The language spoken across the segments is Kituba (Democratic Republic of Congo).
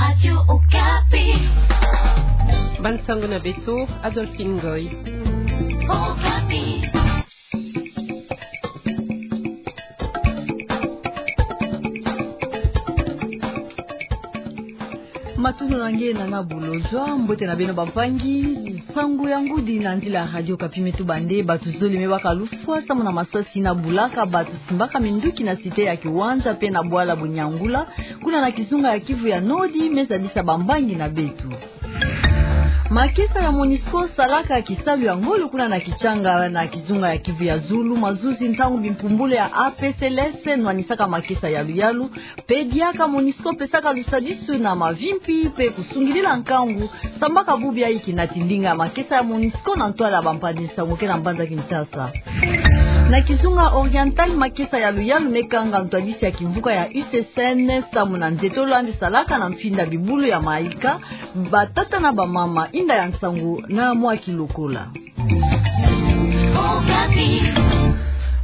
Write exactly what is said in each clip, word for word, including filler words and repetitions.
Radio Okapi. Bansango na beto, Adolphine Ngoy. Okapi. Matondo na nge na na bulojwa, mbote na beno bampangi. Nsangu ya ngudi na nzila ya Radio Okapi me tubande, bato zole me baka lufwa samu na masasi ina bulaka bato simbaka minduki na site ya Kiwanja pe na bwala Bunyangula, kuna na kizunga ya Kivu ya Nodi, me zabisa bambangi na beto. Makesa ya MONUSCO salaka kisalu ya ngolo kuna na Kichanga na kizunga ya Kivu ya Zulu, mazuzi ntangu bimpumbulu ya A P C L S nwanisaka makesa yalu yalu, pe diaka MONUSCO pesaka lusadisu na mavimpi pe kusungidila nkangu, sambaka bubu ya iki na tindinga makesa ya MONUSCO na ntwala ya bampangi nsangu ke na mbanza Kinshasa. Na kizunga Oriental, makesa yalu yalu me kanga ntwadisi ya kimvuka ya U C C N samu na nzetolo yandi salaka na mfinda bibulu ya maika, batata na bamama, inda ya nsangu na mwa kilokola.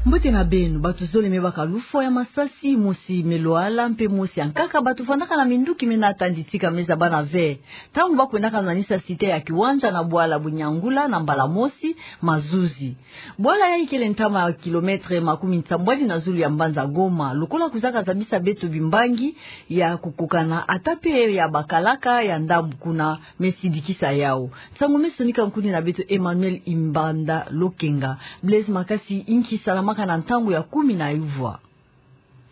Mbote na beno, bato zole me baka lufwa ya masasi, mosi me lwala, mpe mosi ya nkaka bato vandaka na minduki me nata nditika me zaba na ve ntangu ba kwendaka nwanisa site ya Kiwanja na bwala Bunyangula na mbala mosi mazuzi. Bwala yayi kele ntama ya kilometre makumi nsambwadi na zulu ya mbanza Goma, lokola kwizaka zabisa beto bimbangi ya kukokana, ata pe ya bakalaka ya ndambu kuna me sidikisa yau. Nsangu me sonika nkuni na beto Emmanuel Imbanda Lokenga. Blaise Makasi, inki salamaka na ntangu ya kumi na uvwa?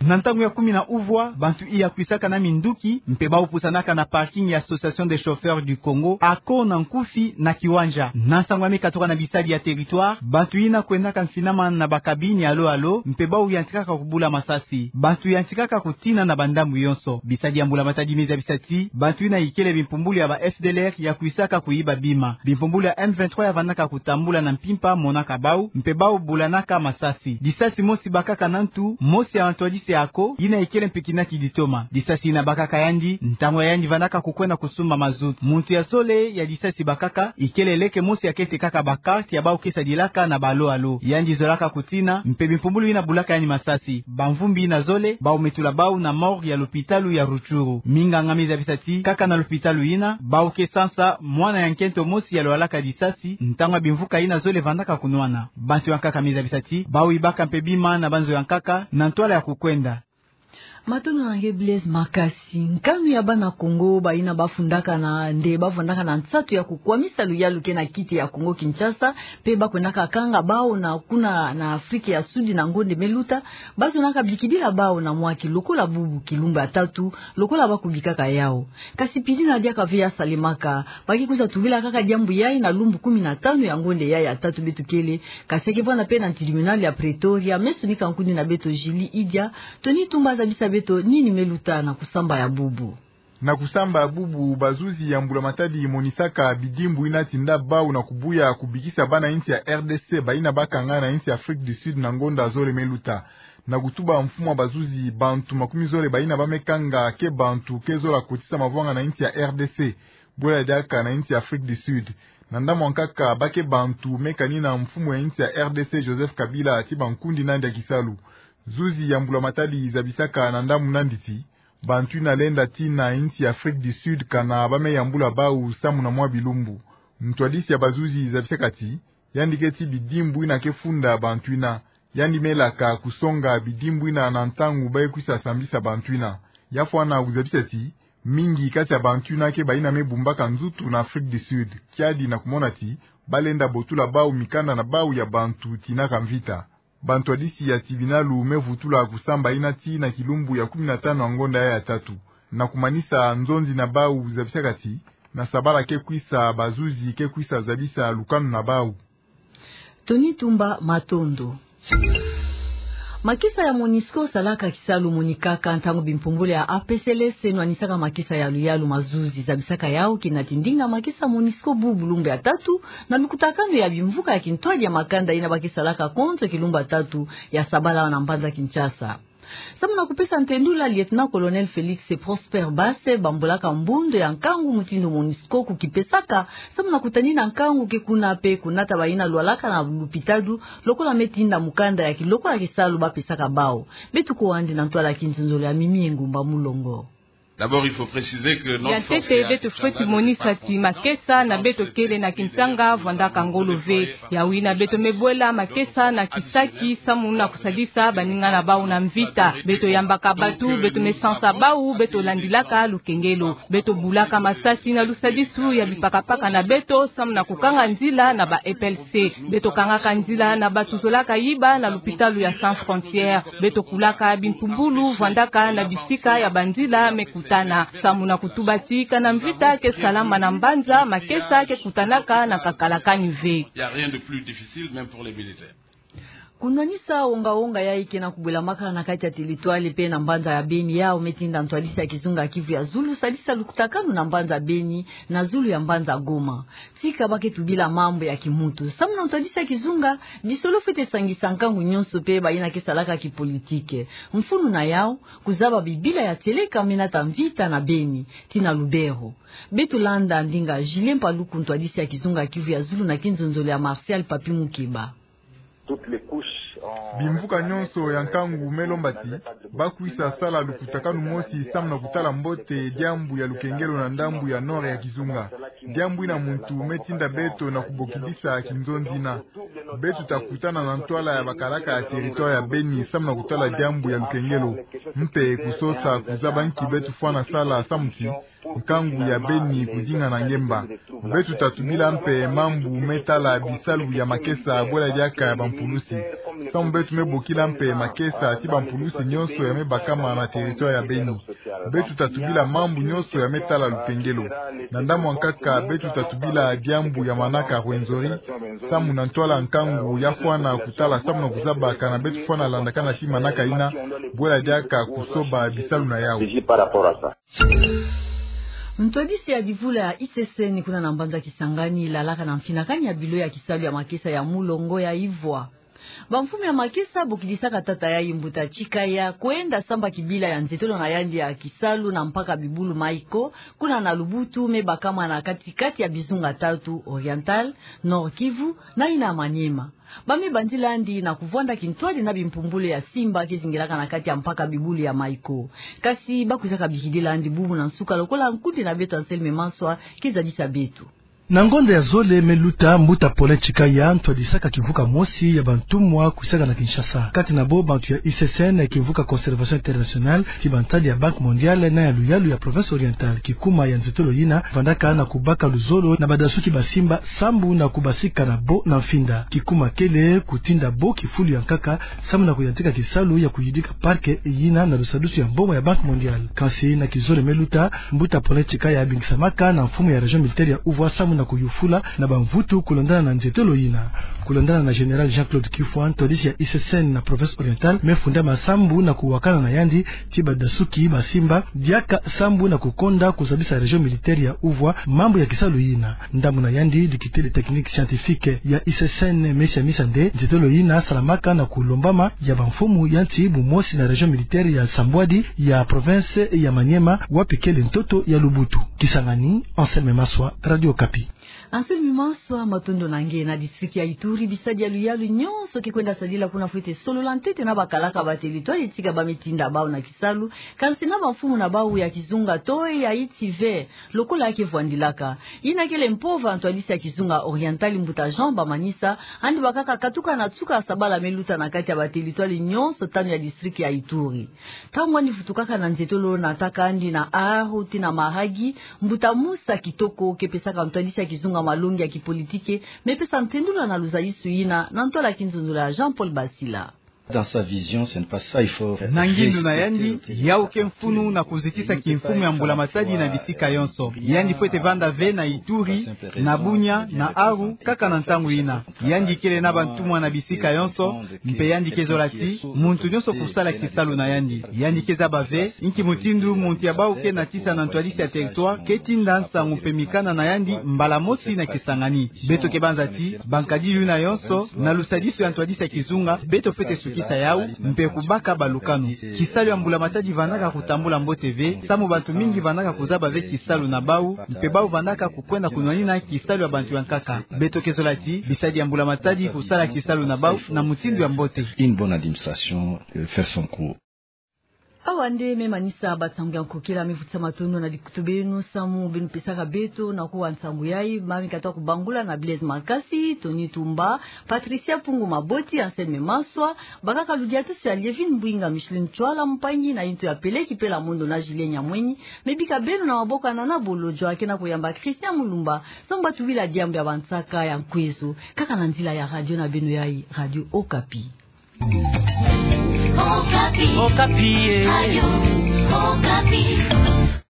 Na ntangu ya kumi na uvwa, bantu iya kwisaka na minduki, mpe bau pusanaka na parking ya Association des Chauffeurs du Congo, ako na nkufi na Kiwanja. Na nsangu ya me katuka na bisadi ya territoire, bantu ina kwendaka mfinama na ba cabine ya alo alo, mpe bau yantikaka kubula masasi. Bantu yantikaka kutina na bandambu yonso. Bisadi ya mbula matadi me zabisa ti, bantu ina ikele bimpumbulu ya ba F D L R ya kwisaka kuyiba bima. Bimpumbulu ya M vingt-trois ya vandaka kutambula na mpimpa monaka bau, mpe bau bulanaka masasi. Lisasi mosi bakaka na ntu, mosi ya ntwadisi ako, ina ikele mpe kina kiditoma. Lisasi ina bakaka yandi, ntangu ya yandi vandaka kukwenda kusumba mazout. Muntu ya zole ya lisasi bakaka, ikele leke mosi ya ketekaka ba carte ya bau ke sadilaka na ba alo alo. Yandi zolaka kutina, mpe bimpumbulu ina bulaka yandi masasi. Bamvumbi ina zole, bau me tula bau na morgue ya lopitalu ya Rutshuru. Minganga me zabisa ti, kaka na lopitalu ina, bau ke sansa mwana ya nkento mosi ya lwalaka lisasi, ntangu ya bimvuka ina zole vandaka kunwana. Bantu ya nkaka me zabisa ti, bau yibaka mpe bima na banzo ya nkaka, na ntwala ya kukwenda. Matondo na nge Blaise Makasi. Nkanu ya bana Kongo, bayina bafundaka na nde, bafundaka na nsatu ya kukwamisa luyalu ke na kiti ya Kongo Kinshasa, mpe bakwendaka kanga bau na kuna na Afrique ya Sud na ngonde me luta, bazonaka bikidila bau na mwa ki lokola bubu kilumbu ya tatu, lokola bakubikaka yau. Kasi pili na diaka ve ya salemaka, ba ke kwiza tubila kaka diambu yayi na lumbu kumi na tanu ya ngonde yayi ya tatu beto kele, kasi ya ke vwanda mpe na tribunal ya Pretoria, me sonika nkuni na beto Julie Idia. Tony Tumba zabisa beto nini me luta na kusamba ya bubu. Na kusamba ya bubu, bazuzi ya mbula matadi monisaka bidimbu ina tinda bau na kubuya kubikisa bana insi ya R D C bayina bakanga na insi ya Afrique du Sud na ngonda zole me luta. Na kutuba mfumu ya bazuzi, bantu makumi zole bayina ba me kanga ke bantu ke zola kotisa mavwanga na insi ya R D C, bwela diaka na insi ya Afrique du Sud. Na ndambu ya nkaka, ba ke bantu me kanina mfumu ya insi ya R D C Joseph Kabila ti bankundi nandi ya kisalu. Zuzi ya mbula matadi zabisaka na ndambu nandi ti, bantu ina lenda tii na insi ya Afrique du Sud kana ba me yambula bau samu na mwa bilumbu. Ntwadisi ya bazuzi zabisaka ti, yandi ke tii bidimbu ina ke funda bantu ina. Yandi me laka kusonga bidimbu ina na ntangu ba ye kwisa sambisa bantu ina. Ya fwana kuzabisa ti, mingi kati ya bantu ina ke bayina me bumbaka nzutu na Afrique du Sud, kiadi na kumona ti ba lenda botula bau mikanda na bau ya bantu tinaka mvita. Bantwadisi ya tibinalu me vutula kusamba ina tii na kilumbu ya kumi na tanu ya ngonda yayi ya tatu. Na kumanisa, nzonzi na bau zabisaka ti, na sabala ke kwisa, bazuzi ke kwisa zabisa lukanu na bau. Tony Tumba, matondo. Makesa ya MONUSCO salaka kisalu monikaka ntangu bimpumbulu ya A P C L S nwanisaka makesa yalu yalu mazuzi. Zabisaka yau kina tindinga makesa MONUSCO bubu lumbu ya tatu, na lukutakanu ya bimvuka ya kintwadi ya makanda ina ba ke salaka konzo kilumbu ya tatu ya sabala na mbanza Kinshasa. Samu na kupesa ntendula, Lieutenant-colonel Félix Prosper Basse bambolaka mbundo ya nkangu mutindu MONUSCO kukipesaka, samu na kutanina nkangu ke kuna mpe kunata bayina lwalaka na lupitalu, lokola me tinda mukanda ya kilokola kisalu ba pesaka bau. Beto kwandi na ntwala ya kinzonzolo ya Mimi Engumba Mulongo. D'abord, il faut préciser que notre force est à Kichanga, le département de Kichanga, mais aussi, euh, dans d'autres régions. Ya ntete, beto fweti monisa ti makesa na beto kele na kintanga vwandaka ngolo ve. Yawu yina beto me bwela makesa na kisaki samu na kusadisa baninga na bau na mvita. Beto yambaka bato, beto me sansa bau, beto landilaka lukengelo. Beto bulaka masasi na lusadisu ya bipakapaka na beto samu na kukanga nzila na ba E P L C. Beto kangaka nzila na bato zolaka yiba na lupitalu ya Sans Frontières. Beto kulaka bimpumbulu vwandaka na bisika ya banzila me kutana. Samu na kutuba ti kana mvita ke salama na mbanza, makesa ke kutanaka na kakalakani ve. Il y a rien de plus difficile, même pour les militaires. Kunwanisa wonga-wonga yayi ke na kubwelamaka na kati ya teritware pe na mbanza ya Beni, yawu me tinda ntwadisi ya kizunga Kivu ya Zulu sadisa lukutakanu na mbanza Beni na zulu ya mbanza Goma. Tika ba ke tubila mambu ya kimuntu. Samu na ntwadisi ya kizunga, disolo fwete sangisa nkangu nyonso pe bayina ke salaka kipolitike. Mfunu na yawu, kuzaba bibila ya tieleka me nata mvita na Beni, tii na Lubero. Beto landa ndinga Julien Paluku, ntwadisi ya kizunga Kivu ya Zulu, na kinzonzolo ya Martial Papi Mukeba. Bimvuka nyonso ya nkangu me lomba ti ba kwisa sala lukutakanu mosi samu na kutala mbote diambu ya lukengelo na ndambu ya nord ya kizunga. Diambu yina muntu me tinda beto na kubokidisa kinzonzi yina. Beto ta kutana na ntwala ya bakalaka ya teritware ya Beni samu na kutala diambu ya lukengelo, mpe kusosa kuzaba nki beto fwana sala samu ti nkangu ya Beni kudingana ngemba. Beto ta tubila mpe mambu me tala bisalu ya makesa bwela diaka ya bampulusi. Samu beto me bokila mpe makesa ti bampulusi nyonso ya me bakama na teritware ya Beni. Beto ta tubila mambu nyonso ya me tala lukengelo. Na ndambu ya nkaka, beto ta tubila diambu ya manaka Rwenzori, samu na ntwala nkangu ya fwana kutala samu na kuzaba kana beto fwana landakana ti manaka yina, bwela diaka kusoba bisalu na yawu. Ntwadisi ya divula ya I C C N kuna na mbanza Kisangani lalaka na mfinakani ya bilo ya kisalu ya makesa ya mulongo ya Ivwa. Bamfumu ya makesa bokidisaka tata yayi mbuta Tchicaya kwenda samba kibila ya nzetolo na yandi ya kisalu na mpaka bibulu Maiko, kuna na Lubutu, me bakama na kati-kati ya bizunga tatu, Oriental, Nord-Kivu na yina Maniema. Ba me bandila yandi na kuvwanda kintwadi na bimpumbulu ya simba ke zingilaka na kati ya mpaka bibulu ya Maiko. Kasi ba kwizaka bikidila yandi bubu na nsuka, lokola nkundi na beto Anselme Maswa ke zabisa beto. Na ngonda ya zole me luta, mbuta Paulin Tchicaya ntwadisaka kimvuka mosi ya bantumwa kwisaka na Kinshasa. Kati na bo bantu ya I C C N, kimvuka Conservation Internationale, ti bantadi ya Banque Mondiale na ya luyalu ya Province Orientale. Kikuma ya nzetolo yina vandaka na kubaka luzolo na badasuki ba simba sambu na kubasika na bo na mfinda. Kikuma kele kutinda bo kifulu ya nkaka sambu na kuyantika kisalu ya kuyidika parc yina na lusadusu ya mbongo ya Banque Mondiale. Kansi na kizole me luta, mbuta Paulin Tchicaya abingisamaka na mfumu ya région militaire ya Uvwa sambu na kuyufula na bamvutu kulandana na nzetolo yina. Kulandana na Général Jean-Claude Kifwa, ntwadisi ya I C C N na Province Orientale, me fundama sambu na kuwakana na yandi ti badasuki ba simba diaka sambu na kukonda kuzabisa région militaire ya Uvwa mambu ya kisalu yina. Ndambu na yandi, dikitele technique scientifique ya I C C N me siamisa nde nzetolo yina salamaka na kulombama ya bamfumu ya nsi, bumosi na région militaire ya Sambwadi ya province ya Maniema, wapi kele ntoto ya Lubutu. Kisangani, Anselme Maswa, Radio Okapi. Anselme Maswa, matondo na nge. Na district ya Ituri, bisadi ya luyalu nyonso ke kwenda sadila kuna fwete solola ntete na bakalaka ba territoire tika ba me tinda bau na kisalu, kansi na bamfumu na bau ya kizunga to ya iti ve, lokola ke vwandilaka. Yina kele mpova ntwadisi ya kizunga Oriental, mbuta Jean Bamanisa, yandi bakaka katuka na nsuka ya sabala me luta na kati ya ba territoire nyonso tanu ya district ya Ituri. Ntangu yandi vutukaka na nzetolo, nataka yandi na Aru tii na Mahagi, mbuta Musa Kitoko, ke pesaka ntwadisi ya kizunga malongi ya kipolitike, me pesa ntendula na luzayisu yina, na ntwala ya kinzonzolo ya Jean-Paul Basila. Dans sa vision, ce n'est pas ça, il faut... Na ngindu na yandi, yau ke mfunu na kuzitisa kimfumu ya mbula matadi na bisika yonso. Yandi fwete vanda ve na Ituri, na Bunia, na Aru, kaka na ntangu yina. Yandi kele na bantumwa na bisika yonso, mpe yandi ke zola ti muntu nyonso kusala kisalu na yandi. Yandi ke zaba ve inki mutindu muntu ya bau ke natisa na ntwadisi ya territoire ke tinda nsangu mpe mikanda na yandi mbala mosi na Kisangani. Beto ke banza ti bankadilu yina yonso, na lusadisu ya ntwadisi ya kizunga, beto fwete sukisa yau, mpe kubaka balukanu. Kisalu ya mbula matadi vandaka kutambula mbote ve, samu bantu mingi vandaka kuzaba ve kisalu na bau, mpe bau vandaka kukwenda kunwanina kisalu ya bantu ya nkaka. Beto ke zola ti bisadi ya mbula matadi kusala kisalu na bau na mutindu ya mbote. Une bonne administration, euh, fait son cours. Awa nde me manisa bansangu ya nkokila me vutisa matondo na dikutu beno samu beno pesaka beto na kuwa nsangu yayi. Mami kata kubangula na Blaise Makasi, Tony Tumba, Patricia Pungu Maboti, Anselme Maswa, bakaka ludiatusu ya Lievine Mbwinga, Micheline Tswala, mpangi na yinto ya Peleki Pela Mondo na Julien Nyamwenyi. Me bika beno na maboko ya Nana Bolo Joa kena kuyamba Christian Mulumba, samu batuwila diambu ya bansaka ya nkweso kaka na nzila ya radio na beno yayi, Radio Okapi. Okapi. Okapi, eh. Radio Okapi.